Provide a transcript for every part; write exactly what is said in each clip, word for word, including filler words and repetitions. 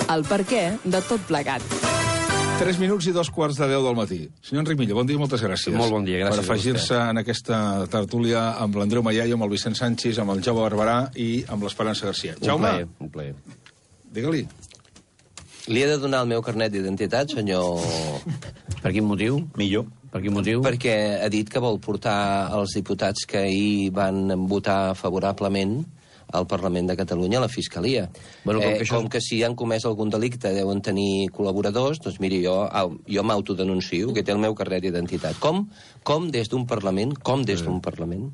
El perquè de tot plegat. Tres minuts i dos quarts de deu del matí. Senyor Enric Millo, bon dia i moltes gràcies. Molt bon dia, gràcies per afegir-se en aquesta tertúlia amb l'Andreu Mallaio, amb el Vicent Sánchez, amb el Jaume Barberà i amb l'Esperança Garcia. Un Jaume, plaer, un plaer. digue-li. Li he de donar el meu carnet d'identitat, senyor... Per quin motiu? Millor. Per quin motiu? Perquè ha dit que vol portar els diputats que ahir van votar favorablement al Parlament de Catalunya a la Fiscalia. Bueno, com, eh, que això... com que si han comès algun delicte deuen tenir col·laboradors, doncs miri, jo, jo m'autodenuncio, que té el meu carnet d'identitat. Com, com des d'un Parlament, com des d'un Parlament,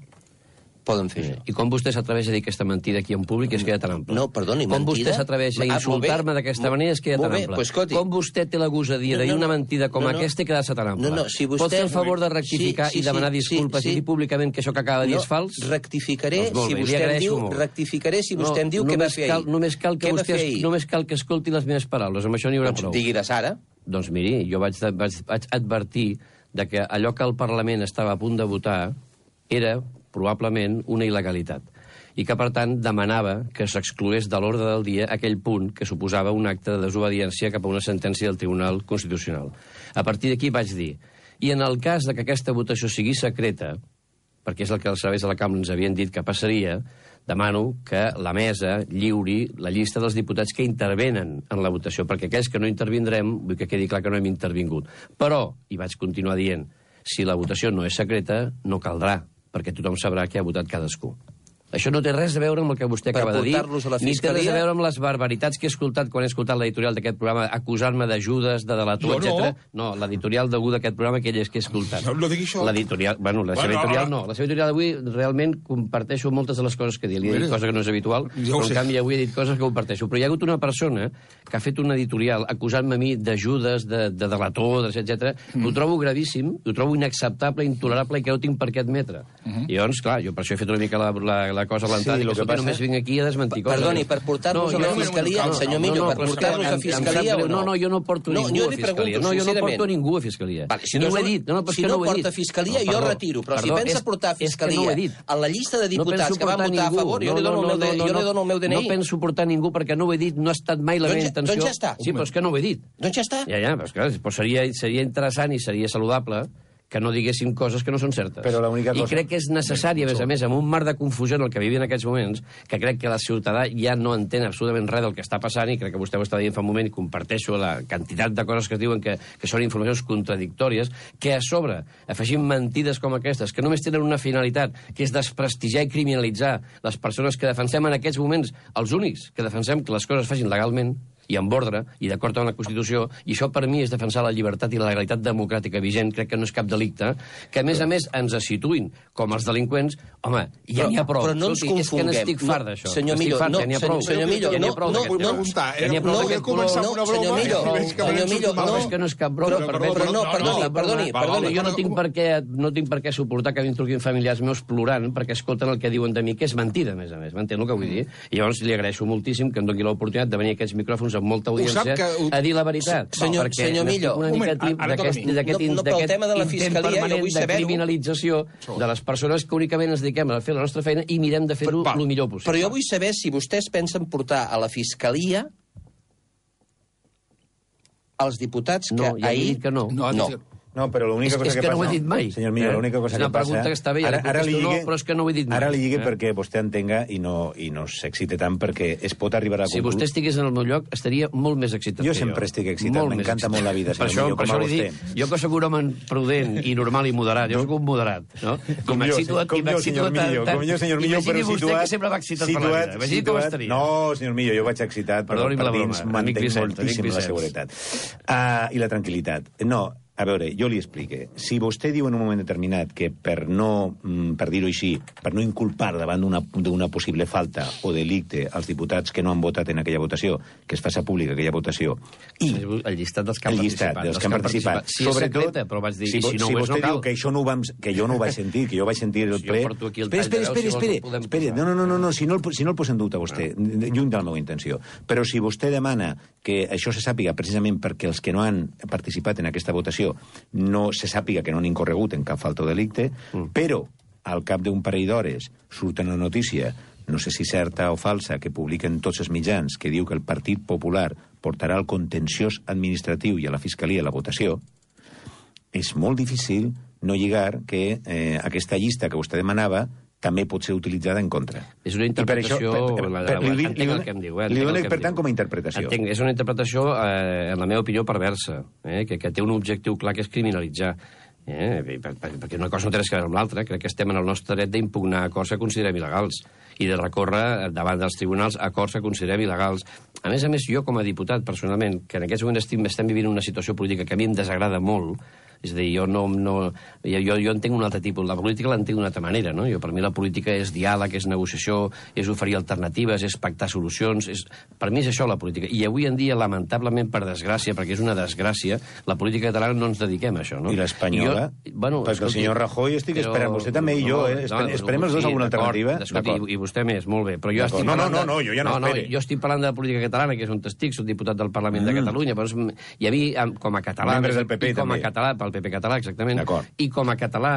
poden fer això. I com vostè s'atreveix a dir aquesta mentida aquí en públic és que ja tan ample. No, perdoni, com mentida... Com vostè s'atreveix a insultar-me d'aquesta manera és que ja tan ample. Pues, com vostè té la gosadia de dir una mentida com no, no, aquesta i quedar-se tan ample. No, no, si vostè... Pot fer el favor de rectificar sí, sí, i demanar sí, disculpes sí, sí. i dir públicament que això que acaba de dir no, és fals? Rectificaré, doncs si bé, vostè em diu, rectificaré si vostè no, em diu què va fer ahir. Només cal que vostè només cal que escolti les meves paraules, amb això n'hi haurà prou. Digui-les ara. Doncs miri, jo vaig, vaig, vaig advertir de que allò que el Parlament estava a punt de votar era probablement una il·legalitat i que, per tant, demanava que s'excloés de l'ordre del dia aquell punt que suposava un acte de desobediència cap a una sentència del Tribunal Constitucional. A partir d'aquí vaig dir, i en el cas de que aquesta votació sigui secreta, perquè és el que els serveis de la Cambra ens havien dit que passaria, demano que la mesa lliuri la llista dels diputats que intervenen en la votació, perquè aquells que no intervindrem, vull que quedi clar que no hem intervingut. Però, i vaig continuar dient, si la votació no és secreta, no caldrà, perquè tothom sabrà què ha votat cadascú. Això no té res a veure amb el que vostè acaba de dir, ni té res a veure amb les barbaritats que he escoltat quan he escoltat l'editorial d'aquest programa, acusant-me d'ajudes, de delator, etcètera. No, l'editorial d'algú d'aquest programa, aquell és que he escoltat. No digui això. L'editorial, bueno, la seva editorial no. La seva editorial d'avui realment comparteixo moltes de les coses que he dit. Li he dit cosa que no és habitual, però en canvi avui he dit coses que comparteixo. Però hi ha hagut una persona que ha fet un editorial acusant-me a mi d'ajudes, de, de delator, etcètera. Mm. Ho trobo gravíssim, ho trobo inacceptable, intolerable i que no tinc per què admetre. Mm-hmm. I llavors, clar, jo per això he fet una mica la, la, la cosa alentada, sí, que, que passa... només vinc aquí a desmentir coses. Perdoni, per portar-los no, a la Fiscalia, no, senyor Millo, no, no, per portar-los a Fiscalia o no? No, no, jo no porto no, ningú a Fiscalia. No, jo no porto ningú a Fiscalia. Vale, si no, no ho he dit. No, no, si no, no porta a Fiscalia, no, perdó, jo retiro. Però perdó, si pensa és, portar a Fiscalia no a la llista de diputats no que van votar ningú. a favor, jo li dono, no, no, no, no, dono el meu D N I. No penso portar ningú perquè no ho he dit, no ha estat mai la meva intenció. Doncs ja està. Sí, però és que no ho he dit. Doncs ja està. Ja, ja, però seria interessant i seria saludable que no diguéssim coses que no són certes. Però cosa... I crec que és necessari, a més a més, amb un mar de confusió en el que vivim en aquests moments, que crec que la ciutadà ja no entén absolutament res del que està passant, i crec que vostè ho està dient fa un moment, i comparteixo la quantitat de coses que es diuen que, que són informacions contradictòries, que a sobre afegim mentides com aquestes, que només tenen una finalitat, que és desprestigiar i criminalitzar les persones que defensem en aquests moments, els únics que defensem que les coses es facin legalment, i amb ordre, i d'acord amb la Constitució, i això per mi és defensar la llibertat i la legalitat democràtica vigent, crec que no és cap delicte, que a més a més ens situïn com els delinqüents, home, ja n'hi ha prou. Però no ens confonguem. És que n'estic fart d'això. Senyor Millo, no, senyor Millo, no, no, no, no, començar amb una broma. Senyor Millo, senyor Millo, no. És que no és cap broma, però no, perdoni, perdoni, perdoni. Jo no tinc per què, no tinc per què suportar que a mi em truquin familiars meus plorant perquè escolten el que diuen de mi, que és mentida, a més a més, m'entén el que vull dir? I llavors li agraeixo moltíssim que em doni l'oportunitat de venir a aquests micròfons amb molta audiència a dir la veritat. Senyor, senyor Millo, una mica d'aquest intent permanent de criminalització de les persones que únicament ens dediquem a fer la nostra feina i mirem de fer-ho el millor possible. Però jo vull saber si vostès pensen portar a la Fiscalia els diputats que ahir... No, ja he dit que no. No. No, però l'única cosa és que, que passa... no ho he dit mai. Senyor Millo, l'única cosa que passa... És una pregunta que està bé, ara, ara li lligue, no, però és que no ho he dit mai. Ara li lligue eh? perquè vostè entenga i no, i no s'excite tant, perquè es pot arribar a... Si conclu... vostè estigués en el meu lloc, estaria molt més excitat jo que jo. Jo sempre estic excitat, m'encanta molt la vida, senyor Millo, com a vostè. Jo que soc un home prudent i normal i moderat, jo soc un moderat, no? Com jo, senyor Millo, com jo, senyor Millo, però situat... Imagini vostè que sempre va excitat per la vida. Imagini com estaria. No, senyor Millo, jo vaig excitat, però per dins mantenc moltíssim la seguretat. I la tranquil·litat. No, a veure, jo li explique. Si vostè diu en un moment determinat que per no, per dir-ho així, per no inculpar davant d'una possible falta o delicte als diputats que no han votat en aquella votació, que es faci pública aquella votació, i el llistat dels que han el llistat dels que han participat, si és secreta, però vaig dir, si, si, no si vostè no diu que això no ho vam, que jo no ho vaig sentir, que jo vaig sentir el ple... Espera, espera, espera, espera, espera, no, no, no, no, si no el, si no el posa en dubte vostè, lluny de la meva intenció, però si vostè demana que això se sàpiga precisament perquè els que no han participat en aquesta votació no se sàpiga que no han incorregut en cap falta o delicte, mm. però al cap d'un parell d'hores surt una notícia no sé si certa o falsa, que publiquen tots els mitjans, que diu que el Partit Popular portarà al contenciós administratiu i a la Fiscalia la votació, és molt difícil no lligar que eh, aquesta llista que vostè demanava també pot ser utilitzada en contra. És una interpretació... Entenc el que em diu. Li dono, per tant, com a interpretació. Entenc, és una interpretació, eh, en la meva opinió, perversa, eh, que, que té un objectiu clar que és criminalitzar. Eh, per, per, perquè una cosa no té res a veure amb l'altra. Crec que estem en el nostre dret d'impugnar acords que considerem il·legals i de recórrer davant dels tribunals acords que considerem il·legals. A més a més, jo com a diputat, personalment, que en aquests moments estem, estem vivint una situació política que a mi em desagrada molt, és a dir, jo no... no jo, jo entenc un altre tipus. La política l'entenc d'una altra manera, no? Jo, per mi la política és diàleg, és negociació, és oferir alternatives, és pactar solucions... És, per mi és això la política. I avui en dia, lamentablement, per desgràcia, perquè és una desgràcia, la política catalana no ens dediquem a això, no? I l'espanyola? Bueno, perquè el senyor Rajoy estic però, esperant, vostè també i jo, eh? No, no, esperem els dos sí, alguna alternativa. Escolti, i, i vostè més, molt bé. Però jo estic no, no, no, no, jo ja no, no espere. No, jo estic parlant de la política catalana, que és un estic, soc diputat del Parlament mm. de Catalunya, però, i a mi, com a català... Membres del P P, com també. a català, pel P P català, exactament. I com a català,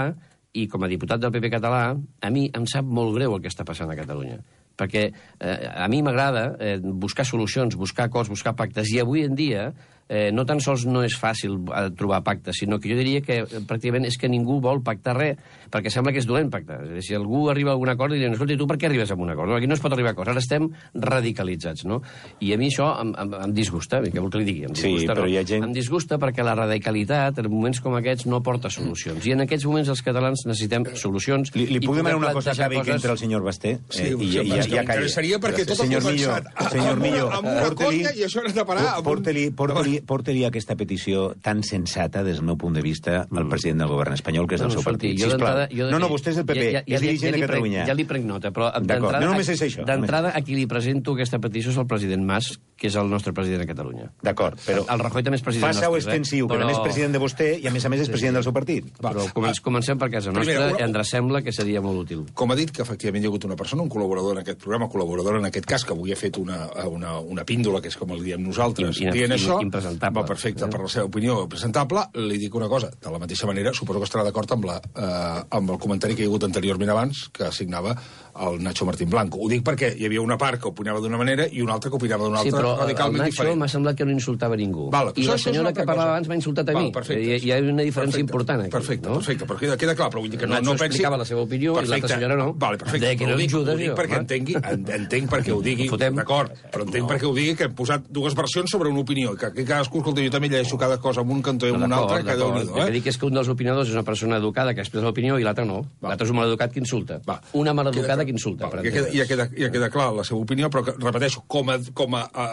i com a diputat del P P català, a mi em sap molt greu el que està passant a Catalunya. Perquè eh, a mi m'agrada eh, buscar solucions, buscar acords, buscar pactes, i avui en dia eh, no tan sols no és fàcil eh, trobar pactes, sinó que jo diria que eh, pràcticament és que ningú vol pactar res, perquè sembla que és dolent pactar. És a dir, si algú arriba a algun acord, diuen, escolta, tu per què arribes a un acord? No, aquí no es pot arribar a acords, ara estem radicalitzats, no? I a mi això em, em, em disgusta, què vol que li digui? Em disgusta, sí, però no? hi ha gent... Em disgusta perquè la radicalitat, en moments com aquests, no porta solucions. I en aquests moments els catalans necessitem solucions. Li, li puc demanar una cosa que acabi que entre el senyor Basté? Sí, eh, i, i, i, ja m'interessaria perquè tot senyor ha començat Millo, senyor Millo, amb una conya i això ha de parar. Porte-li porte porte aquesta petició tan sensata, des del meu punt de vista, al president del govern espanyol, que és del seu partit. Sisplau. No, no, vostè és del P P, és dirigent de Catalunya. Ja li prenc nota, però d'entrada, no només és això. D'entrada, a qui li presento aquesta petició és el president Mas, que és el nostre president de Catalunya. D'acord, però... El Rajoy també és president nostre. Faça-ho extensiu, que també és president de vostè i, a més a més, és president del seu partit. Però comencem per casa nostra i ens sembla que seria molt útil. Com ha dit que efectivament hi ha hagut una persona, un col·laborador en aquest programa, col·laborador en aquest cas, que avui ha fet una, una, una píndola, que és com el diem nosaltres, dient això, impresentable. Va, perfecte, per la seva opinió presentable, li dic una cosa, de la mateixa manera, suposo que estarà d'acord amb, la, eh, amb el comentari que hi ha hagut anteriorment abans, que signava el Nacho Martín Blanco. Ho dic perquè hi havia una part que opinava d'una manera i una altra que opinava d'una altra, sí, però radicalment el diferent. Nacho m'ha semblat que no insultava ningú. Val, I la senyora que parlava abans m'ha insultat a mi. Val, hi, hi ha una diferència perfecte, important aquí. Perfecte, no? perfecte, però queda, queda clar, però vull dir que no, Nacho no pensi... explicava la seva opinió perfecte. I l'altra senyora no. Vale, perfecte, que no ho dic, ajudes, ho dic jo, perquè entengui, entenc perquè ho digui, d'acord, però entenc no. perquè ho digui que hem posat dues versions sobre una opinió, que, que cadascú, escolta, jo també llegeixo cada cosa amb un cantó i amb un altre, que déu-n'hi-do, eh? El que dic és que un dels opinadors és una persona educada que expressa l'opinió i l'altre no. L'altre és un maleducat que insulta. Va. Una maleducada que insulta. Va, ja, queda, ja, queda, ja queda clar la seva opinió, però que, repeteixo, com a, com a, a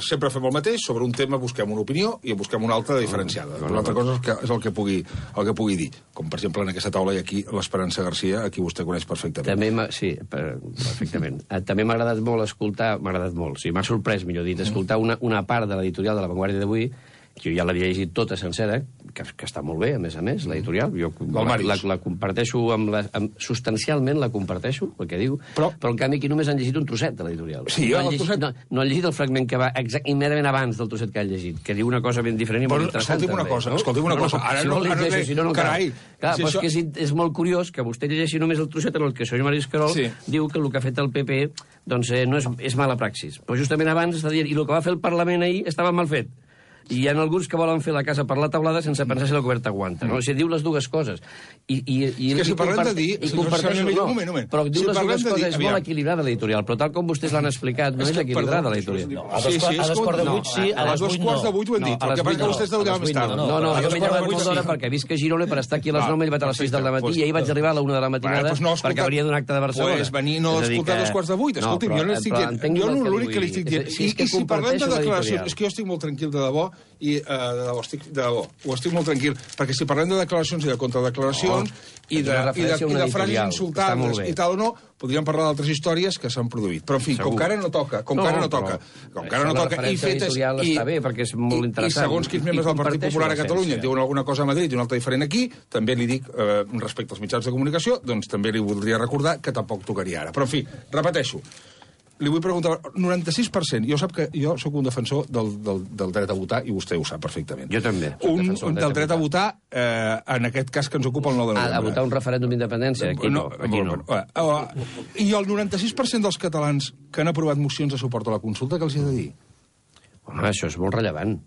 sempre fem el mateix, sobre un tema busquem una opinió i busquem una altra diferenciada. Una altra cosa és, que, és el, que pugui, el que pugui dir. Com, per exemple, en aquesta taula hi ha aquí l'Esperança Garcia, a qui vostè coneix perfectament. També sí, perfectament. També m'ha agradat molt escoltar, m'ha agradat molt, sí, m'ha sorprès, millor dit, escoltar una, una part de l'editorial de La Vanguardia d'avui, que jo ja l'havia llegit tota sencera, que, que està molt bé, a més a més, l'editorial. Jo la, la, la comparteixo, amb la, amb, substancialment la comparteixo, el que diu, però, però en canvi aquí només han llegit un trosset de l'editorial. Sí, no, han llegit, trosset... no, no han llegit el fragment que va exact, immediatament abans del trosset que han llegit, que diu una cosa ben diferent i molt interessant. Escolti'm una cosa, no? escolti'm una cosa. Ara si no, no, ara no, si no, no carai. Clar, si però això... és que és, és molt curiós que vostè llegeixi només el trosset en el que el senyor Maris Carol sí. diu que el que ha fet el P P doncs, eh, no és, és mala praxis. Però justament abans està dient, i el que va fer el Parlament ahir estava mal fet. I hi ha alguns que volen fer la casa per la taulada sense pensar si la coberta aguanta. No? O sigui, diu les dues coses. I, i, i, és que si parlem de dir... I comparteixo, no, un moment, un moment. però diu si les dues coses, dir, és molt equilibrada l'editorial, però tal com vostès l'han explicat, no és, és equilibrada l'editorial. No, a dos quarts de vuit sí, a les dos quarts de vuit ho hem dit. El que passa que vostès deuen més tard. No, no, jo m'he llevat molt d'hora perquè visc a Girona per estar aquí a les nou, m'he llevat a les sis del matí i ahir vaig arribar a la una de la matinada perquè veuria d'un acte de Barcelona. Pues venir no escoltar dos quarts de vuit. Escolti'm, jo no estic dient... Jo l'únic que li estic dient... I si parlem de declaracions... És que jo estic molt tranquil de debò i de debò, estic de debò, ho estic molt tranquil, perquè si parlem de declaracions i de contradeclaracions oh, i de, i de, i de frases insultades i tal o no, podríem parlar d'altres històries que s'han produït. Però, en fi, Segur. com que ara no toca, com no, que ara no toca, com que ara no toca, i fetes... I, està bé, perquè és molt interessant. I segons quins membres del Partit Popular a Catalunya diuen alguna cosa a Madrid i una altra diferent aquí, també li dic, eh, respecte als mitjans de comunicació, doncs també li voldria recordar que tampoc tocaria ara. Però, en fi, repeteixo, li vull preguntar, noranta-sis per cent, jo sap que jo sóc un defensor del, del, del dret a votar, i vostè ho sap perfectament. Jo també. Un, un del dret a votar, eh, en aquest cas que ens ocupa el nou de novembre. A, a votar un referèndum d'independència? Aquí no. no, aquí no. Uh, uh, I el noranta-sis per cent dels catalans que han aprovat mocions de suport a la consulta, què els hi ha de dir? Home, això és molt rellevant.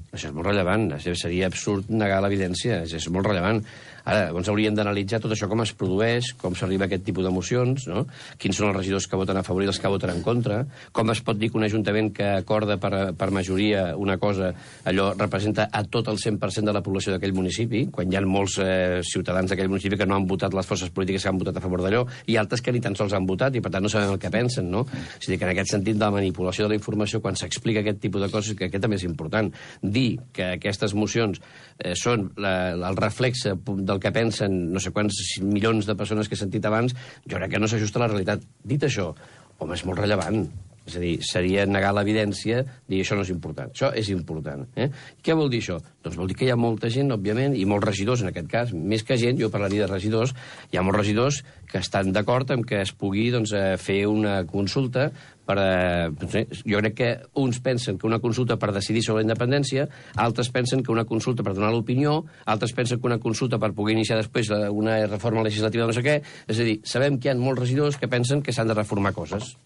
Això és molt rellevant. Seria absurd negar l'evidència. És molt rellevant. Ara, doncs hauríem d'analitzar tot això, com es produeix, com s'arriba a aquest tipus d'emocions, no? Quins són els regidors que voten a favor i els que voten en contra, com es pot dir que un ajuntament que acorda per, per majoria una cosa, allò representa a tot el cent per cent de la població d'aquell municipi, quan hi ha molts eh, ciutadans d'aquell municipi que no han votat les forces polítiques que han votat a favor d'allò, i altres que ni tan sols han votat, i per tant no sabem el que pensen, no? És a dir, que en aquest sentit de la manipulació de la informació, quan s'explica aquest tipus de coses, que aquest també és important. Dir que aquestes mocions eh, són la, el reflexe del que pensen no sé quants milions de persones que he sentit abans, jo crec que no s'ajusta a la realitat. Dit això, home, és molt rellevant. És a dir, seria negar l'evidència, dir això no és important. Això és important. Eh? Què vol dir això? Doncs vol dir que hi ha molta gent, òbviament, i molts regidors, en aquest cas, més que gent, jo parlaria de regidors, hi ha molts regidors que estan d'acord amb que es pugui doncs, fer una consulta per, eh, jo crec que uns pensen que una consulta per decidir sobre la independència, altres pensen que una consulta per donar l'opinió, altres pensen que una consulta per poder iniciar després una reforma legislativa de no sé què. És a dir, sabem que hi ha molts regidors que pensen que s'han de reformar coses.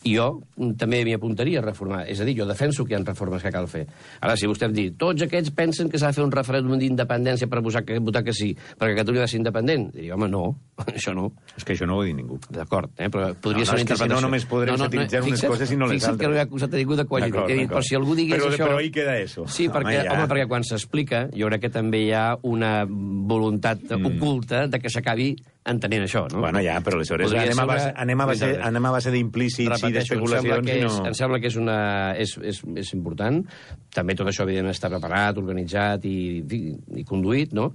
I jo també m'hi apuntaria a reformar. És a dir, jo defenso que hi ha reformes que cal fer. Ara, si vostè em diu, tots aquests pensen que s'ha de fer un referèndum d'independència per votar que, votar que sí, perquè Catalunya ha de ser independent, diria, home, no, això no. És que això no ho ha dit ningú. D'acord, eh? Però podria no, ser no, una interpretació. Si no, només podrem no, no, satiritzar no, unes coses i no les altres. Fixa't que no hi ha acusat a ningú de qualitat. Però si algú digués però, això... Però ahí queda eso. Sí, perquè, home, ja. home, perquè quan s'explica, jo crec que també hi ha una voluntat mm. oculta de que s'acabi entenent això, no? Bueno, ja, però aleshores anem a, base, anem, a base, anem a base d'implícits i d'especulacions. Em, no... em sembla que és, una, és, és, és important. També tot això, evidentment, està preparat, organitzat i, i, i conduït, no?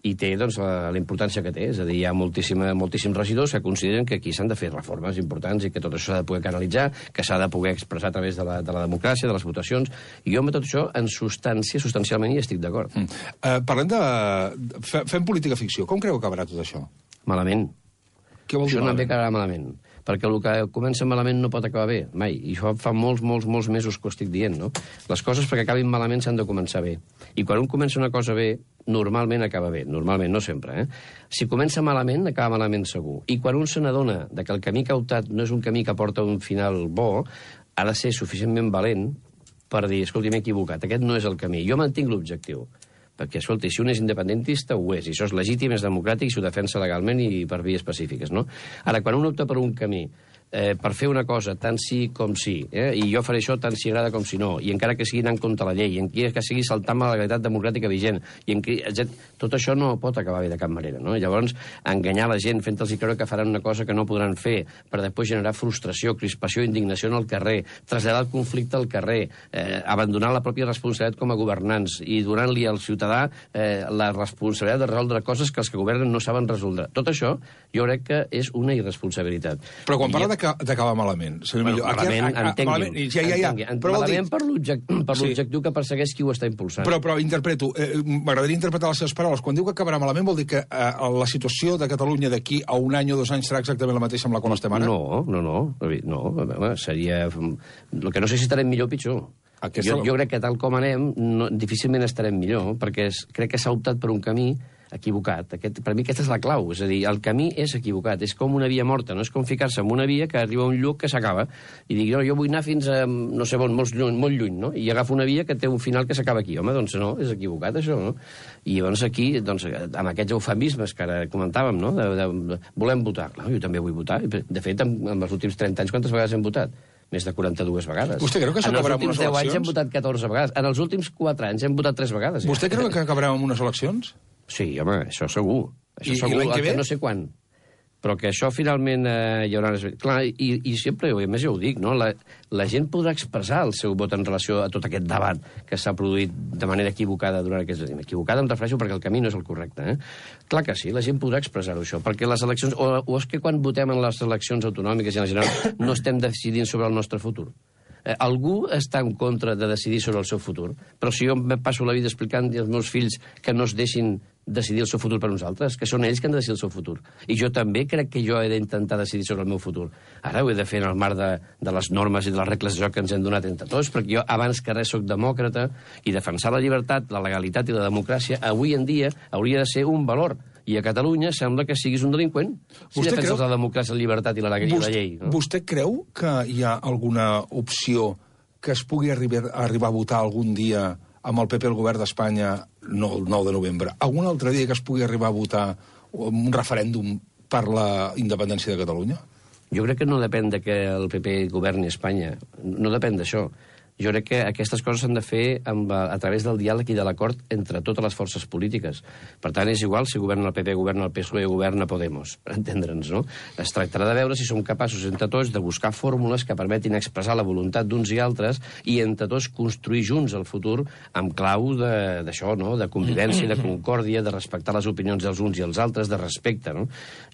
I té, doncs, la, la importància que té. És a dir, hi ha moltíssims regidors que consideren que aquí s'han de fer reformes importants i que tot això s'ha de poder canalitzar, que s'ha de poder expressar a través de la, de la democràcia, de les votacions. I jo amb tot això, en substància, substancialment, hi estic d'acord. Mm. Uh, parlem de... Fem política ficció. Com creu que acabarà tot això? Malament. Què vol dir això malament? no acabarà malament. Perquè el que comença malament no pot acabar bé, mai. I això fa molts, molts, molts mesos que ho estic dient, no? Les coses perquè acabin malament s'han de començar bé. I quan un comença una cosa bé, normalment acaba bé. Normalment, no sempre, eh? Si comença malament, acaba malament segur. I quan un se n'adona que el camí que ha optat no és un camí que porta un final bo, ha de ser suficientment valent per dir, escolti, m'he equivocat, aquest no és el camí. Jo mantinc l'objectiu. Perquè, escolta, si un és independentista, ho és, i això és legítim, és democràtic, i s'ho defensa legalment i per vies específiques, no? Ara, quan un opta per un camí eh, per fer una cosa tant sí com sí, eh, i jo faré això tant si agrada com si no, i encara que sigui anant contra la llei, i en que sigui saltant la legalitat democràtica vigent, i en que, tot això no pot acabar bé de cap manera, no? Llavors, enganyar la gent fent-los creure que faran una cosa que no podran fer, per després generar frustració, crispació, indignació en el carrer, traslladar el conflicte al carrer, eh, abandonar la pròpia responsabilitat com a governants i donant-li al ciutadà eh, la responsabilitat de resoldre coses que els que governen no saben resoldre. Tot això jo crec que és una irresponsabilitat. Però quan parla de d'acabar malament, senyor bueno, Millo. Malament, entengui'm. Ja, ja, ja. Però malament per l'objectiu sí. que persegueix qui ho està impulsant. Però, però interpreto, eh, m'agradaria interpretar les seves paraules. Quan diu que acabarà malament vol dir que eh, la situació de Catalunya d'aquí a un any o dos anys serà exactament la mateixa amb la qual estem ara? No, no, no. no seria... El que no sé si estarem millor o pitjor. Aquesta... Jo, jo crec que tal com anem, no, difícilment estarem millor, perquè es, crec que s'ha optat per un camí equivocat. Aquest, per mi aquesta és la clau. És a dir, el camí és equivocat. És com una via morta. No és com ficar-se en una via que arriba a un lloc que s'acaba. I dic, no, jo vull anar fins a, no sé on, molt lluny, molt lluny, no? I agafo una via que té un final que s'acaba aquí. Home, doncs no, és equivocat, això, no? I llavors aquí, doncs, amb aquests eufemismes que ara comentàvem, no? De, de, de, volem votar. No, jo també vull votar. De fet, en, en els últims trenta anys, quantes vegades hem votat? Més de quaranta-dues vegades. Vostè creu que s'acabarà amb unes eleccions? En els últims deu anys hem votat catorze vegades. En els últims quatre anys hem votat tres vegades. Ja. Vostè creu que acabarà amb unes eleccions? Sí, home, això segur. Això I, segur, i l'any que ve? Que no sé quan. Però que això finalment eh, hi haurà... Clar, i, i sempre, a més ja ho dic, no? La, la gent podrà expressar el seu vot en relació a tot aquest debat que s'ha produït de manera equivocada durant aquests anys. Equivocada em refereixo perquè el camí no és el correcte. Eh? Clar que sí, la gent podrà expressar-ho, això, perquè les eleccions... O, o és que quan votem en les eleccions autonòmiques i en general no estem decidint sobre el nostre futur. Eh, algú està en contra de decidir sobre el seu futur, però si jo em passo la vida explicant als meus fills que no es deixin decidir el seu futur per nosaltres, que són ells que han de decidir el seu futur. I jo també crec que jo he d'intentar decidir sobre el meu futur. Ara ho he de fer en el marc de, de les normes i de les regles de joc que ens hem donat entre tots, perquè jo abans que res soc demòcrata i defensar la llibertat, la legalitat i la democràcia avui en dia hauria de ser un valor. I a Catalunya sembla que siguis un delinqüent si defenses creu... la democràcia, la llibertat i la, vostè, la llei. No? Vostè creu que hi ha alguna opció que es pugui arribar, arribar a votar algun dia amb el P P al govern d'Espanya, no el nou de novembre, algun altre dia que es pugui arribar a votar un referèndum per la independència de Catalunya? Jo crec que no depèn de que el P P governi Espanya. No depèn d'això. Jo crec que aquestes coses s'han de fer amb, a través del diàleg i de l'acord entre totes les forces polítiques. Per tant, és igual si governa el P P, governa el P S O E o governa Podemos, per entendre'ns, no? Es tractarà de veure si som capaços entre tots de buscar fórmules que permetin expressar la voluntat d'uns i altres i entre tots construir junts el futur amb clau d'això, no? De convivència, de concòrdia, de respectar les opinions dels uns i els altres, de respecte, no?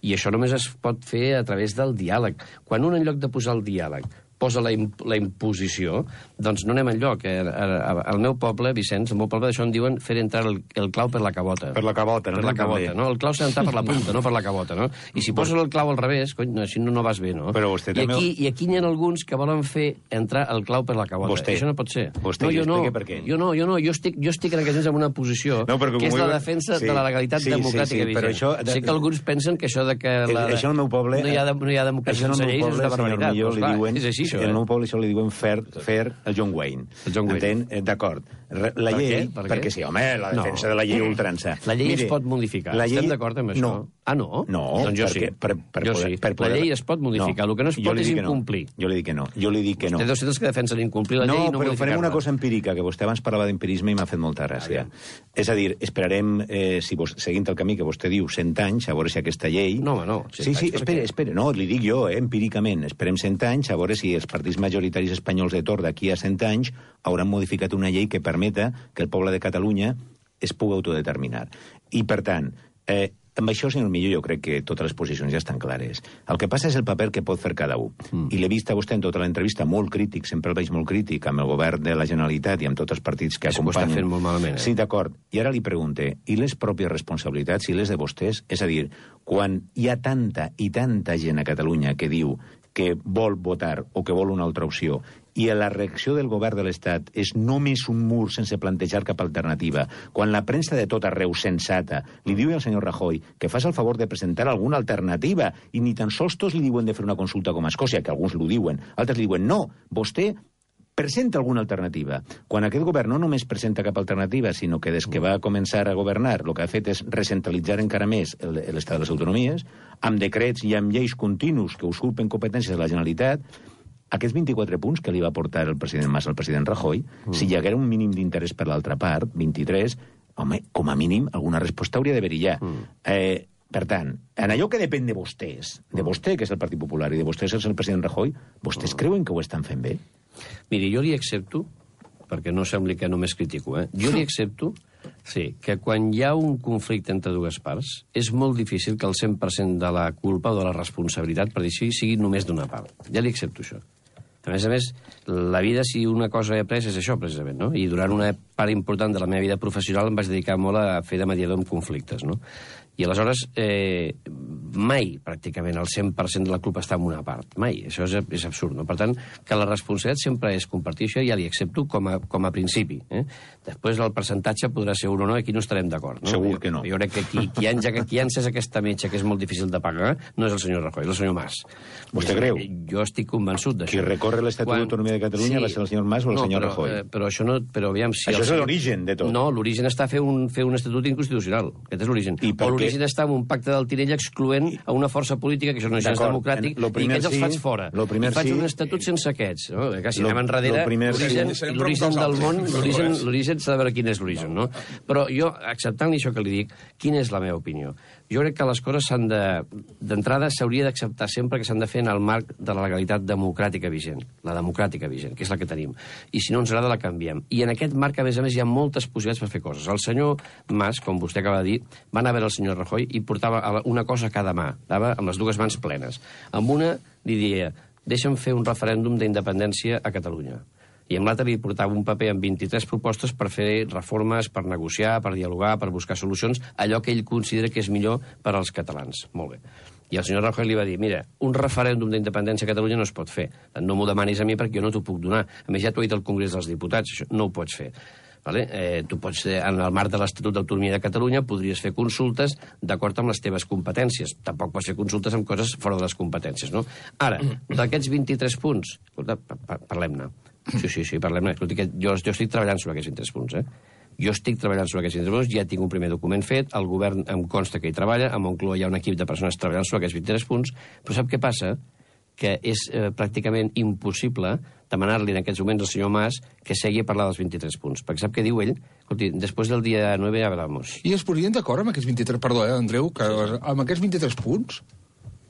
I això només es pot fer a través del diàleg. Quan un, en lloc de posar el diàleg, posa la, imp la imposició, doncs no anem enlloc. Eh? Al meu poble, Vicenç, al meu poble d'això en diuen fer entrar el, el clau per la cabota. Per la cabota, no? Per la cabota, no? El clau s'ha d'entrar per la punta, no per la cabota, no? I si poses el clau al revés, cony, així no, no vas bé, no? Però vostè I també... aquí, I aquí n'hi ha alguns que volen fer entrar el clau per la cabota. Vostè. Això no pot ser. Vostè, no, jo no, per què? Jo no, jo no, jo estic, jo estic en aquest sentit en una posició no, que és la defensa sí, de la legalitat sí, democràtica sí, sí, però això... Sé que alguns pensen que això de que la, això al meu poble... no hi ha, no hi ha democràcia sense lleis és una barbaritat. Doncs clar, és així, això. En el meu poble això li diuen fer, fer el John Wayne. El John Wayne. Entén? D'acord. La per llei... Per perquè sí, home, la defensa no. de la llei ultrança. La llei Mire, es pot modificar. La llei... Estem d'acord amb això? No. Ah, no? No, doncs jo perquè, sí. Per, per jo poder, sí. Per poder... La llei es pot modificar. No. El que no es pot és incomplir. No. Jo li dic que no. Jo li dic que no. Té dos cents que defensen incomplir la no, llei i no però farem una cosa empírica, que vostè abans parlava d'empirisme i m'ha fet molta gràcia. Ah, és a dir, esperarem, eh, si vos, seguint el camí que vostè diu, cent anys, a veure si aquesta llei... No, home, no. Sí, sí, espere, espere. No, li dic jo, eh, empíricament. Esperem cent anys, a veure si els partits majoritaris espanyols de torn d'aquí a cent anys hauran modificat una llei que permeta que el poble de Catalunya es pugui autodeterminar. I, per tant, eh, amb això, senyor Millo, jo crec que totes les posicions ja estan clares. El que passa és el paper que pot fer cada un. Mm. I l'he vist a vostè en tota l'entrevista molt crític, sempre el veig molt crític, amb el govern de la Generalitat i amb tots els partits que això acompanyen. Això ho està fent molt malament. Eh? Sí, d'acord. I ara li pregunte, i les pròpies responsabilitats, i les de vostès? És a dir, quan hi ha tanta i tanta gent a Catalunya que diu que vol votar o que vol una altra opció, i la reacció del govern de l'Estat és només un mur sense plantejar cap alternativa, quan la premsa de tot arreu sensata li diu al senyor Rajoy que fas el favor de presentar alguna alternativa, i ni tan sols tots li diuen de fer una consulta com a Escòcia, que alguns l'ho diuen, altres li diuen no, vostè presenta alguna alternativa. Quan aquest govern no només presenta cap alternativa, sinó que des que va començar a governar el que ha fet és recentralitzar encara més l'estat de les autonomies, amb decrets i amb lleis continus que usurpen competències de la Generalitat, aquests vint-i-quatre punts que li va portar el president Mas al president Rajoy, mm. si hi haguera un mínim d'interès per l'altra part, vint-i-tres, home, com a mínim, alguna resposta hauria d'haver-hi ja. Mm. Eh, per tant, en allò que depèn de vostès, de vostè, que és el Partit Popular, i de vostès, que és el president Rajoy, vostès mm. creuen que ho estan fent bé? Miri, jo li accepto, perquè no sembli que només critico, eh? Jo li accepto, sí, que quan hi ha un conflicte entre dues parts, és molt difícil que el cent per cent de la culpa o de la responsabilitat, per dir així, sigui només d'una part. Ja li accepto això. A més a més, la vida, si una cosa he après, és això, precisament, no? I durant una part important de la meva vida professional em vaig dedicar molt a fer de mediador en conflictes, no? I aleshores, eh, mai, pràcticament, el cent per cent de la culpa està en una part. Mai. Això és, és absurd, no? Per tant, que la responsabilitat sempre és compartir això, ja li accepto com a, com a principi. Eh? Després el percentatge podrà ser un o no, aquí no estarem d'acord. No? Segur que no. Jo, jo crec que qui, qui, ha, qui ha encès aquesta metxa, que és molt difícil de pagar, no és el senyor Rajoy, és el senyor Mas. Vostè creu? Jo estic convençut d'això. Qui recorre l'Estatut Quan... d'Autonomia de Catalunya sí, va ser el senyor Mas o el no, senyor però, Rajoy? Eh, però això no... Però, aviam, si això el... és l'origen de tot. No, l'origen està a fer un, fer un estatut inconstitucional. Aquest és l'origen. O l'origen està en un pacte del Tinell excloent a una força política, que això no és democràtic, i aquests els sí, faig fora. I faig sí. un estatut sense aquests. No? Que si anem enrere, l'origen sí. del món, l'origen s'ha de veure quin és l'origen. No? Però jo, acceptant-li això que li dic, quina és la meva opinió? Jo crec que les coses s'han de... D'entrada, s'hauria d'acceptar sempre que s'han de fer en el marc de la legalitat democràtica vigent. La democràtica vigent, que és la que tenim. I si no ens agrada, la canviem. I en aquest marc, a més a més, hi ha moltes possibilitats per fer coses. El senyor Mas, com vostè acaba de dir, va anar a veure el senyor Rajoy i portava una cosa a cada mà. Anava amb les dues mans plenes. Amb una li deia, deixa'm fer un referèndum d'independència a Catalunya. I amb l'altre li portava un paper amb vint-i-tres propostes per fer reformes, per negociar, per dialogar, per buscar solucions, allò que ell considera que és millor per als catalans. Molt bé. I el senyor Rajoy li va dir, mira, un referèndum d'independència a Catalunya no es pot fer. No m'ho demanis a mi perquè jo no t'ho puc donar. A més, ja t'ho ha dit el Congrés dels Diputats, això no ho pots fer. Vale? Eh, tu pots, en el marc de l'Estatut d'Autonomia de Catalunya, podries fer consultes d'acord amb les teves competències. Tampoc pots fer consultes amb coses fora de les competències, no? Ara, d'aquests vint-i-tres punts, escolta, parlem-ne. Sí, sí, sí, parlem-ne. Jo, jo estic treballant sobre aquests vint-i-tres punts, eh? Jo estic treballant sobre aquests vint-i-tres punts, ja tinc un primer document fet, el govern em consta que hi treballa, a Moncloa hi ha un equip de persones treballant sobre aquests vint-i-tres punts, però sap què passa? Que és eh, pràcticament impossible demanar-li en aquests moments al senyor Mas que segui a parlar dels vint-i-tres punts. Perquè sap què diu ell? Escolti, després del dia nueve ja hablamos. I es podrien d'acord amb aquests vint-i-tres... Perdó, eh, Andreu, que amb aquests vint-i-tres punts...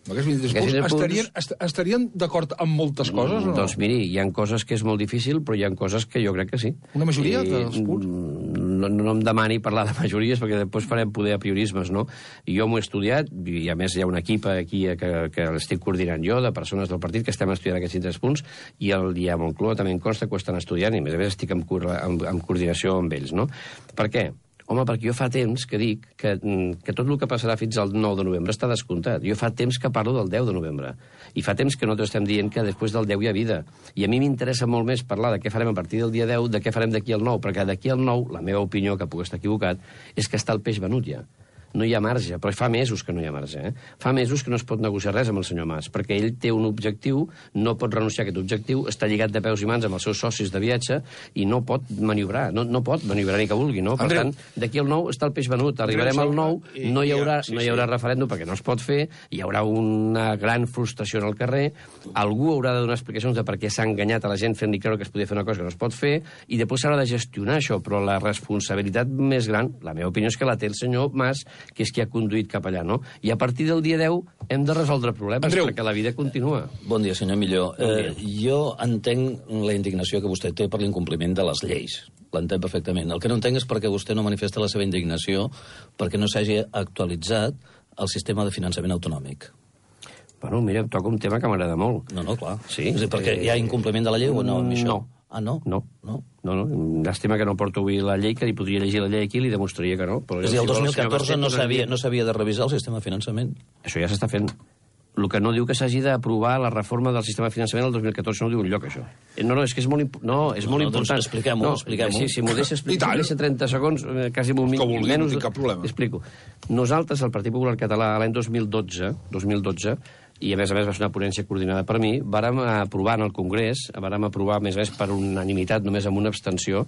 Amb aquests vint-i-tres punts, punts estarien, est estarien d'acord amb moltes coses o no? Doncs miri, hi ha coses que és molt difícil, però hi ha coses que jo crec que sí. Una majoria I, dels punts? No, no em demani parlar de majories, perquè després farem poder a priorismes, no? I jo m'ho he estudiat, i a més hi ha un equip aquí que, que l'estic coordinant jo, de persones del partit, que estem estudiant aquests vint-i-tres punts, i el dia a Moncloa també em consta que ho estan estudiant, i a més a més estic en, en, en coordinació amb ells, no? Per què? Home, perquè jo fa temps que dic que, que tot el que passarà fins al nou de novembre està descomptat. Jo fa temps que parlo del deu de novembre. I fa temps que nosaltres estem dient que després del deu hi ha vida. I a mi m'interessa molt més parlar de què farem a partir del dia deu, de què farem d'aquí al nou, perquè d'aquí al nou, la meva opinió, que puc estar equivocat, és que està el peix venut ja. No hi ha marge, però fa mesos que no hi ha marge. Eh? Fa mesos que no es pot negociar res amb el senyor Mas, perquè ell té un objectiu, no pot renunciar a aquest objectiu, està lligat de peus i mans amb els seus socis de viatge i no pot maniobrar, no, no pot maniobrar ni que vulgui, no? Per Andreu, tant, d'aquí al nou està el peix venut, arribarem al nou, no hi haurà, sí, no hi haurà sí. referèndum perquè no es pot fer, hi haurà una gran frustració en el carrer, algú haurà de donar explicacions de per què s'ha enganyat a la gent fent-li creure que es podia fer una cosa que no es pot fer, i després s'haurà de gestionar això, però la responsabilitat més gran, la meva opinió és que la té el senyor Mas, que és qui ha conduït cap allà, no? I a partir del dia deu hem de resoldre problemes, Andreu. Perquè la vida continua. Bon dia, senyor Milló. Bon dia. Eh, jo entenc la indignació que vostè té per l'incompliment de les lleis. L'entenc perfectament. El que no entenc és perquè vostè no manifesta la seva indignació perquè no s'hagi actualitzat el sistema de finançament autonòmic. Bueno, mira, toca un tema que m'agrada molt. No, no, clar. Sí? És a dir, perquè eh... hi ha incompliment de la llei o no? No. Ah, no? No. No. No, no. Llàstima que no porto avui la llei, que li podria llegir la llei aquí i li demostraria que no. Però és a dir, el dos mil catorze no s'havia no s'havia de revisar el sistema de finançament? Això ja s'està fent. El que no diu que s'hagi d'aprovar la reforma del sistema de finançament el dos mil catorze no diu enlloc, això. No, no, és que és molt, imp... no, és no, molt no, important. Doncs expliquem-ho, no, expliquem-ho. Sí, si m'ho deixa explicar, si deixa trenta segons, eh, quasi un minut, vulgui, menys... No tinc cap problema. Explico. Nosaltres, el Partit Popular Català, l'any dos mil dotze, dos mil dotze, i a més a més va ser una ponència coordinada per mi, vàrem aprovar en el Congrés, vàrem aprovar, a més a més, per unanimitat, només amb una abstenció,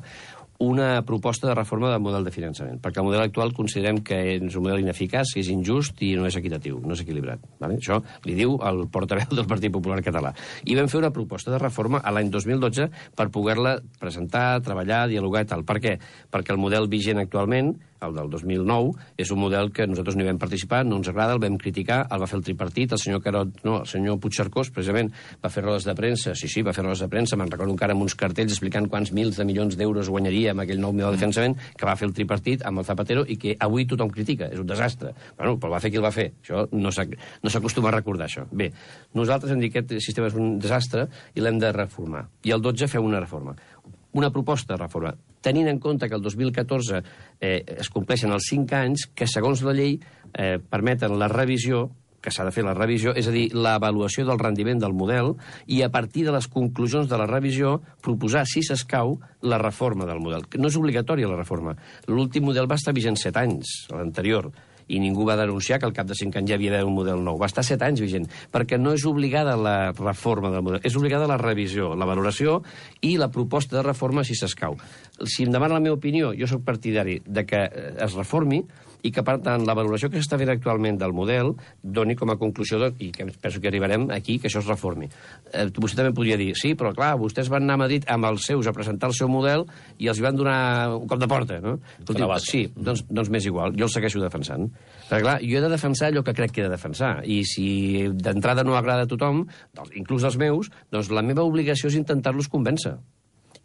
una proposta de reforma del model de finançament, perquè el model actual considerem que és un model ineficaç, és injust i no és equitatiu, no és equilibrat. Vale? Això li diu el portaveu del Partit Popular Català. I vam fer una proposta de reforma a l'any dos mil dotze per poder-la presentar, treballar, dialogar i tal. Per què? Perquè el model vigent actualment, el del dos mil nou, és un model que nosaltres no hi vam participar, no ens agrada, el vam criticar, el va fer el tripartit, el senyor Carot, no, el senyor Puigcercós, precisament, va fer rodes de premsa, sí, sí, va fer rodes de premsa, me'n recordo encara amb uns cartells explicant quants mils de milions d'euros guanyaria amb aquell nou model de finançament que va fer el tripartit amb el Zapatero i que avui tothom critica, és un desastre. Bueno, però va fer qui el va fer, això no s'acostuma a recordar, això. Bé, nosaltres hem dit que aquest sistema és un desastre i l'hem de reformar. I el dotze feu una reforma. Una proposta de reforma, tenint en compte que el dos mil catorze eh, es compleixen els cinc anys que, segons la llei, eh, permeten la revisió, que s'ha de fer la revisió, és a dir, l'avaluació del rendiment del model, i a partir de les conclusions de la revisió proposar, si s'escau, la reforma del model. No és obligatòria la reforma. L'últim model va estar vigent set anys, l'anterior, i ningú va denunciar que al cap de cinc anys ja havia d'haver un model nou. Va estar set anys vigent, perquè no és obligada la reforma del model, és obligada la revisió, la valoració i la proposta de reforma si s'escau. Si em demana la meva opinió, jo sóc partidari de que es reformi i que, per tant, la valoració que s'està fent actualment del model doni com a conclusió, de, i que penso que arribarem aquí, que això es reformi. Eh, vostè també podria dir, sí, però clar, vostès van anar a Madrid amb els seus a presentar el seu model i els hi van donar un cop de porta, no? Escolti, sí, doncs, doncs m'és igual, jo el segueixo defensant. Perquè clar, jo he de defensar allò que crec que he de defensar, i si d'entrada no agrada a tothom, inclús als meus, doncs la meva obligació és intentar-los convèncer.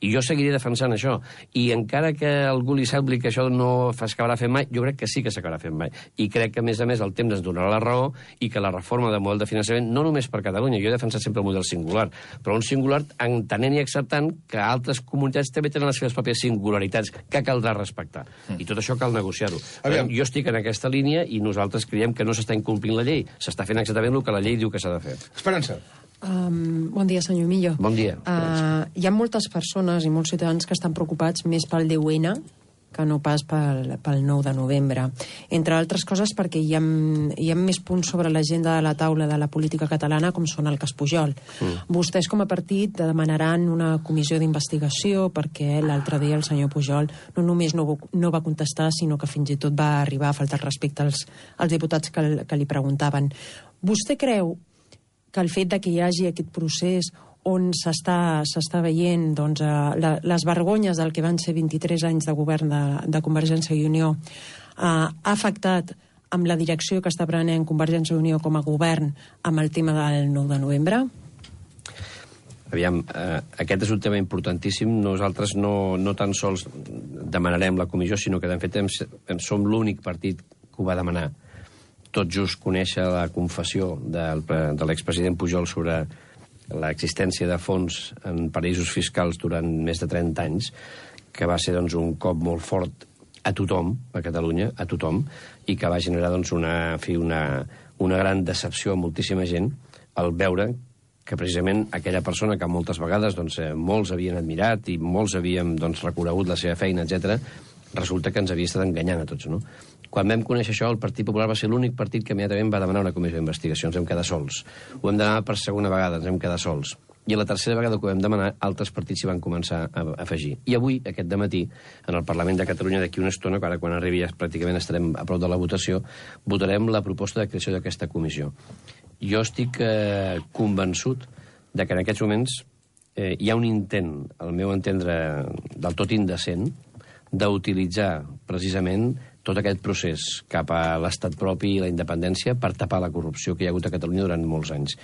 I jo seguiré defensant això. I encara que algú li sembli que això no s'acabarà fent mai, jo crec que sí que s'acabarà fent mai. I crec que, a més a més, el temps ens donarà la raó i que la reforma del model de finançament, no només per Catalunya, jo he defensat sempre el model singular, però un singular entenent i acceptant que altres comunitats també tenen les seves pròpies singularitats que caldrà respectar. Mm. I tot això cal negociar-ho. Jo estic en aquesta línia i nosaltres creiem que no s'està incomplint la llei, s'està fent exactament el que la llei diu que s'ha de fer. Esperança. Um, bon dia, senyor Millo. Bon dia. Uh, hi ha moltes persones i molts ciutadans que estan preocupats més pel deu ene que no pas pel, pel nou de novembre. Entre altres coses perquè hi ha, hi ha més punts sobre l'agenda de la taula de la política catalana com són el cas Pujol. Mm. Vostès com a partit demanaran una comissió d'investigació perquè l'altre dia el senyor Pujol no només no, no va contestar, sinó que fins i tot va arribar a faltar respecte als, als diputats que, que li preguntaven. Vostè creu que el fet de que hi hagi aquest procés on s'està veient doncs, la, les vergonyes del que van ser vint-i-tres anys de govern de, de Convergència i Unió eh, ha afectat amb la direcció que està prenent Convergència i Unió com a govern amb el tema del nou de novembre? Aviam, eh, aquest és un tema importantíssim. Nosaltres no, no tan sols demanarem la comissió, sinó que, de fet, hem, hem, som l'únic partit que ho va demanar. Tot just conèixer la confessió del, de l'expresident Pujol sobre l'existència de fons en paraïsos fiscals durant més de trenta anys, que va ser doncs, un cop molt fort a tothom, a Catalunya, a tothom, i que va generar doncs, una, en fi, una, una gran decepció a moltíssima gent al veure que precisament aquella persona que moltes vegades doncs, molts havien admirat i molts havíem doncs, reconegut la seva feina, etcètera, resulta que ens havia estat enganyant a tots, no? Quan vam conèixer això, el Partit Popular va ser l'únic partit que immediatament va demanar una comissió d'investigació. Ens vam quedar sols. Ho vam demanar per segona vegada, ens vam quedar sols. I a la tercera vegada que ho vam demanar, altres partits s'hi van començar a afegir. I avui, aquest dematí, en el Parlament de Catalunya, d'aquí una estona, ara quan arribi ja pràcticament estarem a prop de la votació, votarem la proposta de creació d'aquesta comissió. Jo estic eh, convençut de que en aquests moments eh, hi ha un intent, al meu entendre, del tot indecent, d'utilitzar precisament tot aquest procés cap a l'estat propi i la independència per tapar la corrupció que hi ha hagut a Catalunya durant molts anys.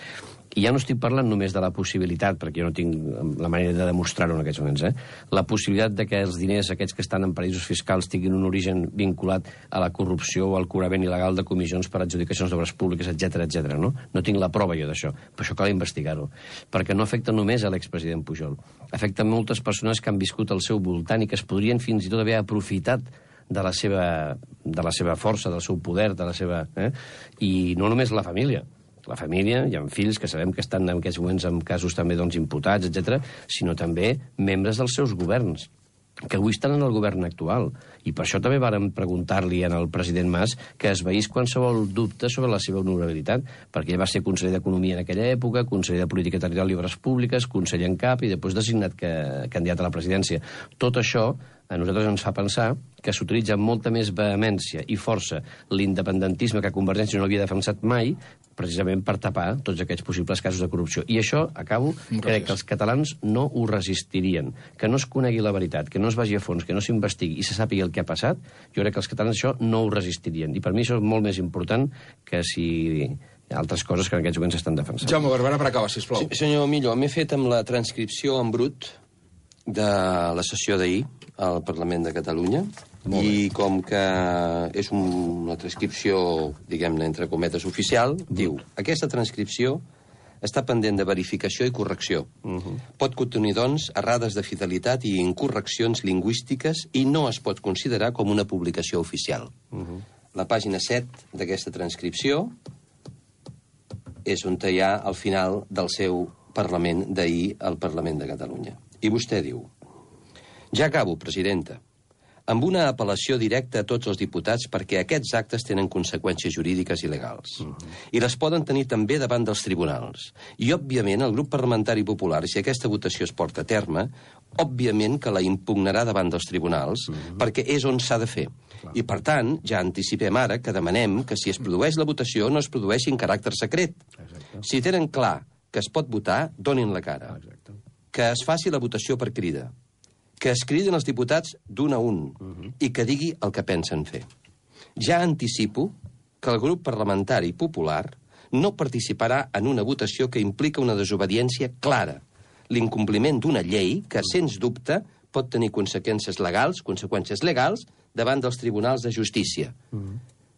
I ja no estic parlant només de la possibilitat, perquè jo no tinc la manera de demostrar-ho en aquests moments, eh? la possibilitat de que els diners aquests que estan en paraïsos fiscals tinguin un origen vinculat a la corrupció o al cobrament il·legal de comissions per adjudicacions d'obres públiques, etcètera, etcètera. No? No tinc la prova jo d'això, però això cal investigar-ho, perquè no afecta només a l'expresident Pujol, afecta moltes persones que han viscut al seu voltant i que es podrien fins i tot haver aprofitat de la seva, de la seva força, del seu poder, de la seva... Eh? I no només la família. La família, hi ha fills que sabem que estan en aquests moments en casos també doncs, imputats, etcètera, sinó també membres dels seus governs, que avui estan en el govern actual. I per això també vàrem preguntar-li al president Mas que es veís qualsevol dubte sobre la seva honorabilitat, perquè ell va ser conseller d'Economia en aquella època, conseller de Política Territorial i Obres Públiques, conseller en cap i després designat que, candidat a la presidència. Tot això a nosaltres ens fa pensar que s'utilitza amb molta més vehemència i força l'independentisme que Convergència no havia defensat mai, precisament per tapar tots aquests possibles casos de corrupció. I això, acabo, crec que els catalans no ho resistirien. Que no es conegui la veritat, que no es vagi a fons, que no s'investigui i se sàpiga el que ha passat, jo crec que els catalans això no ho resistirien. I per mi això és molt més important que si altres coses que en aquests moments s'estan defensant. Jaume Barberà, per acabar, sisplau. Sí, senyor Millo, m'he fet amb la transcripció en brut de la sessió d'ahir al Parlament de Catalunya i com que és un, una transcripció, diguem-ne, entre cometes oficial, mm. diu, aquesta transcripció està pendent de verificació i correcció. Mm-hmm. Pot contenir, doncs, errades de fidelitat i incorreccions lingüístiques i no es pot considerar com una publicació oficial. Mm-hmm. La pàgina set d'aquesta transcripció és on hi ha al final del seu Parlament d'ahir al Parlament de Catalunya. I vostè diu: ja acabo, presidenta, amb una apel·lació directa a tots els diputats perquè aquests actes tenen conseqüències jurídiques i legals. Uh-huh. I les poden tenir també davant dels tribunals. I, òbviament, el grup parlamentari popular, si aquesta votació es porta a terme, òbviament que la impugnarà davant dels tribunals, uh-huh. perquè és on s'ha de fer. Clar. I, per tant, ja anticipem ara que demanem que si es produeix la votació no es produeixi en caràcter secret. Exacte. Si tenen clar que es pot votar, donin la cara. Exacte. Que es faci la votació per crida, que es criden els diputats d'un a un uh-huh. i que digui el que pensen fer. Ja anticipo que el grup parlamentari popular no participarà en una votació que implica una desobediència clara, l'incompliment d'una llei que, sens dubte, pot tenir conseqüències legals, conseqüències legals, davant dels tribunals de justícia. Mm.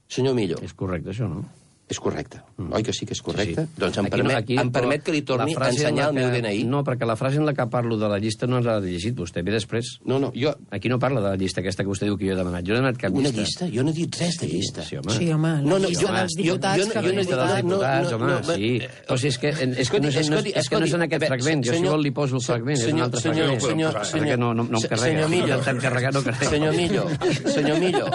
Senyor Millo. És correcte, això, no? És correcte. Mm. Oi que sí que és correcte? Sí, sí. Doncs em aquí permet, no, aquí, em permet que li torni a ensenyar el meu D N I. No, perquè la frase en la que parlo de la llista no l'ha llegit vostè, ve després. No, no, jo... Aquí no parla de la llista aquesta que vostè diu que jo he demanat. Jo he demanat cap llista. Una llista? Jo no he dit res de llista. Sí, home. Sí, home, la no, no, llista jo, dels diputats... Jo, jo, jo, jo no he dit dels diputats, home, sí. Però si és que, és que, no, és, és que no és en aquest fragment. Jo, si vol, li poso el fragment. És un altre fragment. Perquè no em carrega. Senyor Millo. Carregar no carrega. Senyor Millo. Senyor Millo.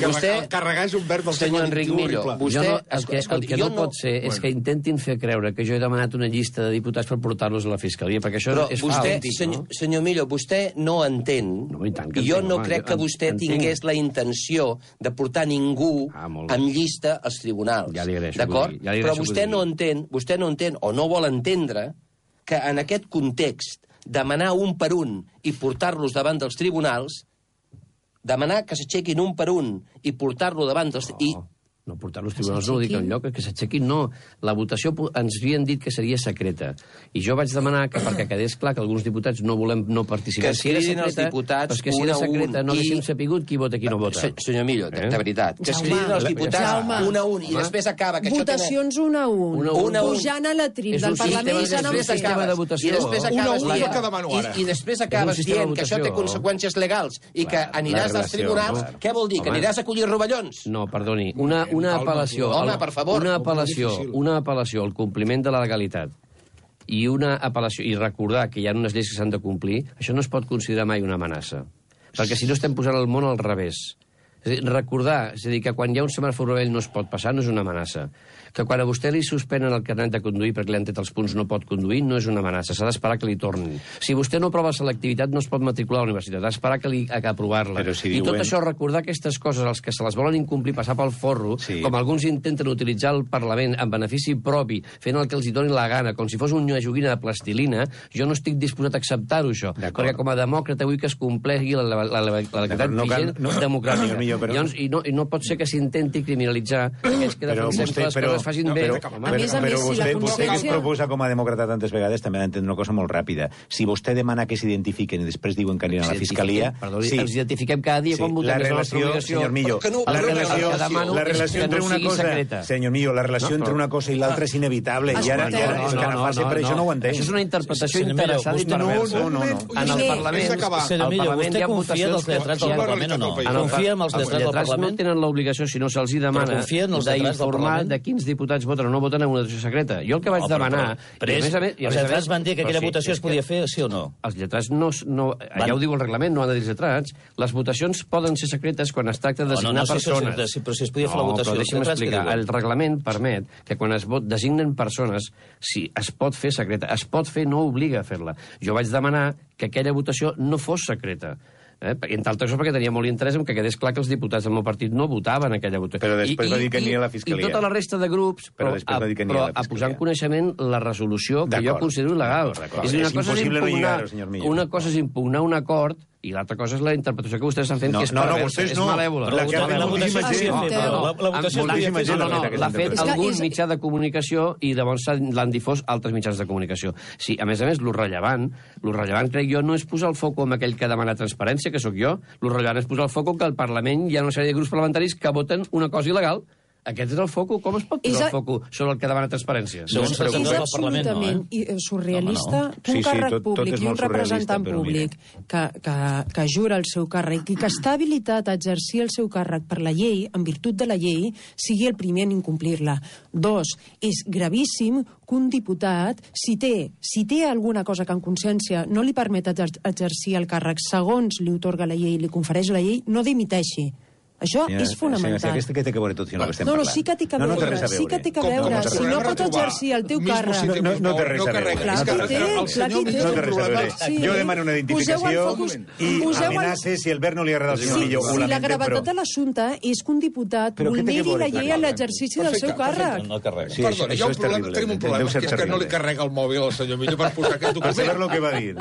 Vostè... Carregar és un verb del senyor Enric Millo. Vostè... El que no pot ser és que intentin fer creure que jo he demanat una llista de diputats per portar-los a la Fiscalia, perquè això però és vostè, fals. Senyor, senyor Millo, vostè no entén, no, i, tant que i jo entenc, no home, crec que vostè entenc. tingués la intenció de portar ningú ah, amb llista als tribunals. Ja li agraeixo, d'acord? Ja li però vostè no entén, vostè no entén, o no vol entendre, que en aquest context demanar un per un i portar-los davant dels tribunals, demanar que s'aixequin un per un i portar-lo davant dels... Oh. I, No, portar los tribunals no ho dic enlloc, que s'aixequin, no. La votació ens havien dit que seria secreta. I jo vaig demanar que, perquè quedés clar que alguns diputats no volem no participar... Que es cridin els diputats que si era secreta no haguéssim sapigut qui vota i qui no vota. Senyor Millo, de, de veritat, que es cridin els diputats un a un i després acaba... Que votacions un a un. Un a un. Pujant a la trim del Parlament i anant un sistema de votació. I després acabes I després acabes dient que això té conseqüències legals i que aniràs als tribunals. Què vol dir? Que aniràs a collir rovellons? No, perdoni. Una Una apel·lació, Home, per favor, una apel·lació, una apel·lació al compliment de la legalitat i una apel·lació i recordar que hi ha unes lleis que s'han de complir, això no es pot considerar mai una amenaça. Perquè si no estem posant el món al revés. És a dir, recordar, és a dir, que quan hi ha un semàfor vermell no es pot passar, no és una amenaça. Que quan a vostè li suspenen el carnet de conduir perquè li han tret els punts no pot conduir, no és una amenaça, s'ha d'esperar que li tornin. Si vostè no aprova selectivitat, no es pot matricular a la universitat, ha d'esperar que li a aprovar-la. Si I diuen... tot això, recordar aquestes coses, els que se les volen incomplir, passar pel forro, sí. Com alguns intenten utilitzar el Parlament en benefici propi, fent el que els hi doni la gana, com si fos una joguina de plastilina, jo no estic disposat a acceptar-ho, això. Perquè com a demòcrata vull que es compleixi la, la, la, la legalitat no vigent no, democràtica. No, però... Llavors, i, no, I no pot ser que s'intenti criminalitzar aquells que defensem que les coses facin no, bé. Però, a més a més, però vostè, si la vostè que es proposa com a demòcrata tantes vegades també ha d'entendre una cosa molt ràpida. Si vostè demana que s'identifiquen i després diuen que aniran a la Fiscalia... Perdoni, sí. Ens identifiquem cada dia sí. quan votem. La relació, senyor Millo, no, la relació, la relació entre una cosa... Senyor Millo, la relació entre una cosa i l'altra és inevitable. I ara és que agafar-se per això no ho entenc. Això és una interpretació interessada i perversa. No, no, no. En el Parlament... Senyor Millo, vostè confia en els lletrats del Parlament o no? Confia en els lletrats del Parlament? No tenen l'obligació, si no se'ls demana, d'informar de quins diputats voten o no voten en una votació secreta. Jo el que vaig no, demanar... Però, però, però és, els lletrats van dir que aquella sí, votació es podia fer, sí o no? Els lletrats no... no van... Ja ho diu el reglament, no han de dir els lletrats. Les votacions poden ser secretes quan es tracta de designar no, no, no, persones. Sí, però si es podia fer no, la votació... Però deixa'm explicar. El reglament permet que quan es vot, designen persones, si es pot fer secreta. Es pot fer, no obliga a fer-la. Jo vaig demanar que aquella votació no fos secreta. Eh? Entre altres coses perquè tenia molt interès en que quedés clar que els diputats del meu partit no votaven aquella votació. Però després I, va dir que aniria a la Fiscalia. I tota la resta de grups, però, però, a, però a, a posar en coneixement la resolució que jo considero il·legal. És, una és cosa impossible és impugnar, no senyor Millo. Una cosa és impugnar un acord i l'altra cosa és la interpretació que vostès estan fent, no, que és no, perversa, no, és no. malèvola. La, que la, la votació es podia fer, però la, la votació es podia fer. No, no, l'ha fet algun mitjà de comunicació i llavors l'han difós altres mitjans de comunicació. Sí, a més a més, lo rellevant, lo rellevant crec jo no és posar el foc amb aquell que demana transparència, que sóc jo, lo rellevant és posar el foc que al Parlament hi ha una sèrie de grups parlamentaris que voten una cosa il·legal. Aquest és el foco. Com es pot posar el foco sobre el que demana transparència? No, és absolutament no, eh? surrealista no, no. que un sí, sí, càrrec tot, públic tot i un representant públic que, que, que jura el seu càrrec i que està habilitat a exercir el seu càrrec per la llei, en virtut de la llei, sigui el primer en incomplir-la. Dos, és gravíssim que un diputat, si té, si té alguna cosa que en consciència no li permet exercir el càrrec segons li otorga la llei i li confereix la llei, no dimiteixi. Això senyora, és fonamental. Senyora, aquesta que té que veure tot, si no, que estem no, no, parlant. sí que té que veure, no, no té res a veure. Sí que té que veure. Com, com si no pots exercir el teu càrrec... No, no, no té res a veure. Clar que té, clar que té. No té res a veure. Sí. Jo demano una identificació i amenace si el Bert no li agrada al senyor Millo. Si la gravetat de l'assumpte és que un diputat vulneri la llei a l'exercici del seu càrrec. Perdona, tenim un problema, que és que no li carrega el mòbil al senyor Millo per posar aquest document. Per saber lo que va dir.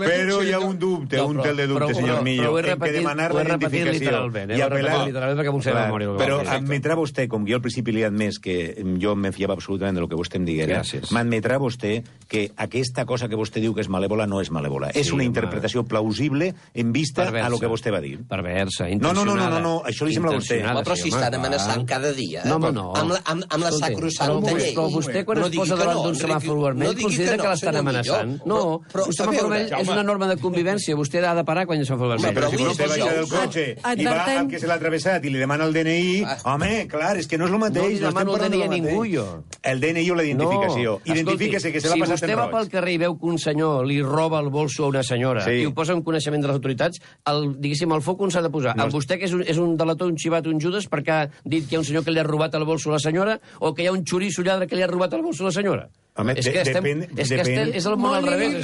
Però hi ha un dubte, un tel de dubte, senyor Millo, en que demanar la identificació i apel·lar literalment perquè m'ho sé de memòria. Però admetrà vostè, com jo al principi li he admès que jo me fiava absolutament del que vostè em diguera, m'admetrà vostè que aquesta cosa que vostè diu que és malèvola no és malèvola. És una interpretació plausible en vista a lo que vostè va dir. Perversa, intencionada. No, no, no, no, no, això li sembla a vostè. Però si estan amenaçant cada dia. No, home, no. Amb la sacrosanta llei. Però vostè, quan es posa davant d'un semàfor vermell, considera que l'estan amenaçant. No, un semàfor vermell és una norma de convivència. Vostè ha de parar quan hi ha semàfor vermell. Però si vostè baixa del cotxe i va al que se l'ha travessat i li demana el D N I, home, clar, és que no és el mateix. No li demano el D N I a ningú, jo. El D N I o la identificació. Identifíquese que se l'ha passat en roig. Si vostè va pel carrer i veu que un senyor li roba el bolso a una senyora i ho posa en coneixement de les autoritats, diguéssim, el foc on s'ha de posar? Amb vostè, que és un delator, un xivat, un Judes, perquè ha dit que hi ha un senyor que li ha robat el bolso a la senyora, o que hi ha un xoriço lladre que li ha robat el bolso a la senyora? Home, és que estem, és, que estem, és el món al revés.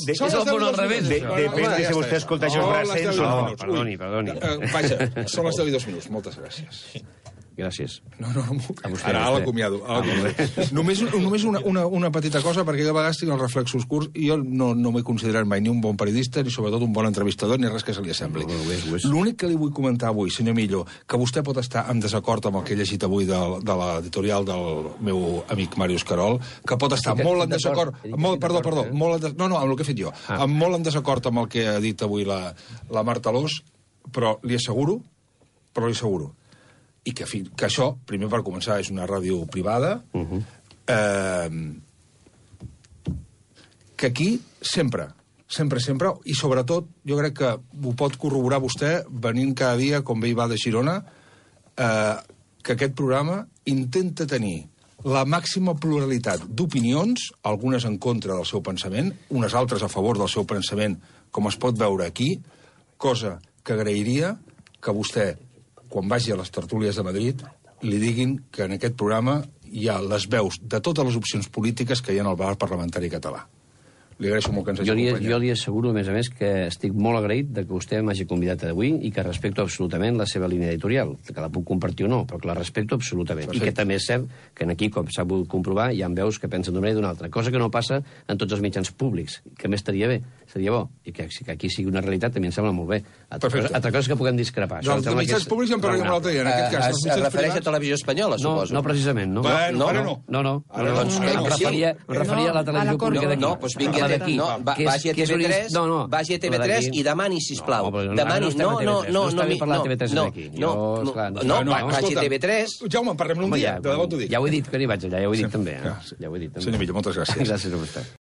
És el món al revés. Depèn de si vostè escolta això braçons o no. Perdoni, perdoni. Vaja, són les deu i dos minuts. Moltes gràcies. Gràcies. No, no, no. Ara, ara l'acomiado. Només, només una, una, una petita cosa, perquè jo a vegades tinc els reflexos curts i jo no, no m'he considerat mai ni un bon periodista, ni sobretot un bon entrevistador, ni res que se li assembli. L'únic que li vull comentar avui, senyor Millo, que vostè pot estar en desacord amb el que he llegit avui de, de l'editorial del meu amic Màrius Querol, que pot estar molt en desacord... Molt, perdó, perdó. Molt en, no, no, amb el que he fet jo. Ah. Molt en desacord amb el que ha dit avui la, la Marta Alòs, però li asseguro, però li asseguro, i que, que això, primer per començar, és una ràdio privada, uh-huh. eh, que aquí sempre, sempre, sempre, i sobretot jo crec que ho pot corroborar vostè venint cada dia, com bé hi va de Girona, eh, que aquest programa intenta tenir la màxima pluralitat d'opinions, algunes en contra del seu pensament, unes altres a favor del seu pensament, com es pot veure aquí, cosa que agrairia que vostè, quan vagi a les tertúlies de Madrid, li diguin que en aquest programa hi ha les veus de totes les opcions polítiques que hi ha en el bar parlamentari català. Li agraeixo molt que ens hagi acompanyat. Jo li asseguro, a més a més, que estic molt agraït de que vostè m'hagi convidat avui i que respecto absolutament la seva línia editorial, que la puc compartir o no, però que la respecto absolutament. Perfecte. I que també és cert que aquí, com s'ha pogut comprovar, hi ha veus que pensen d'una manera i d'una altra, cosa que no passa en tots els mitjans públics, que més estaria bé, seria bo, i que, que aquí sigui una realitat també em sembla molt bé. Altra, cosa, altra cosa és que puguem discrepar. No, els mitjans públics ja en parlarem l'altre dia, en aquest cas. Es, es refereix a Televisió Espanyola, suposo? No, no precisament, no. Bueno, ara no. No, no. Em referia a la televisió pública d'aquí. No, doncs vingui d'aquí. Vagi a T V tres, no, no. vagi a T V tres i demani, sisplau. No, demani, no, no, no, no, no, parlar de T V tres aquí. No, no, vagi a T V tres. Jaume, parlem un dia, de debò t'ho dic. Ja ho he dit que n'hi vaig allà, ja ho he dit també. Ja ho he dit també. Senyor Millo, moltes gràcies. Gràcies a vostè.